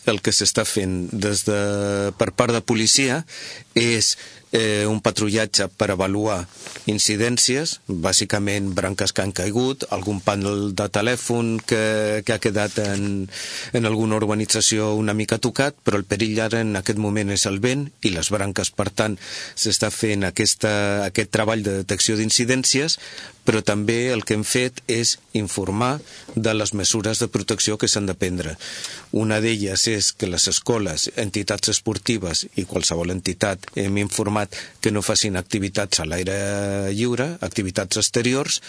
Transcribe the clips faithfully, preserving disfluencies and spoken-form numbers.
el que s'està fent des de, per part de policia és eh, un patrullatge per avaluar incidències, bàsicament branques que han caigut, algun panel de telèfon que, que ha quedat en, en alguna urbanització una mica tocat, però el perill ara en aquest moment és el vent i les branques. Per tant, s'està fent aquesta, aquest treball de detecció d'incidències, però també el que hem fet és informar de les mesures de protecció que s'han de prendre. Una d'elles és que les escoles, entitats esportives i qualsevol entitat hem informat que no facin activitats a l'aire lliure, activitats exteriors.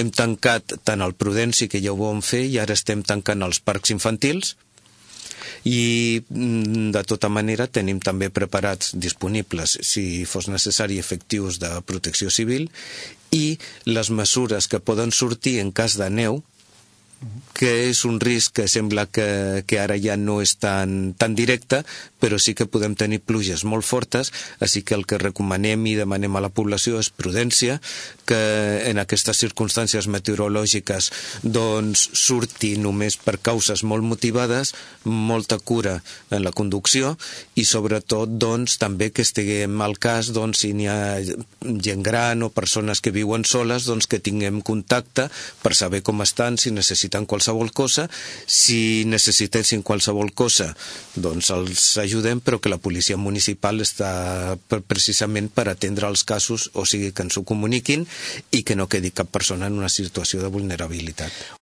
Hem tancat tant el Prudenci, que ja ho vam fer, i ara estem tancant els parcs infantils, i de tota manera tenim també preparats, disponibles, si fos necessari, efectius de protecció civil, i les mesures que poden sortir en cas de neu, que és un risc que sembla que, que ara ja no és tan, tan directe, però sí que podem tenir pluges molt fortes, així que el que recomanem i demanem a la població és prudència, que en aquestes circumstàncies meteorològiques doncs surti només per causes molt motivades, molta cura en la conducció i sobretot doncs també que estiguem al cas doncs si n'hi ha gent gran o persones que viuen soles, doncs que tinguem contacte per saber com estan, si necessiten qualsevol cosa. Si necessitessin qualsevol cosa, doncs els ajudem, però que la policia municipal està precisament per atendre els casos, o sigui que ens ho comuniquin i que no quedi cap persona en una situació de vulnerabilitat.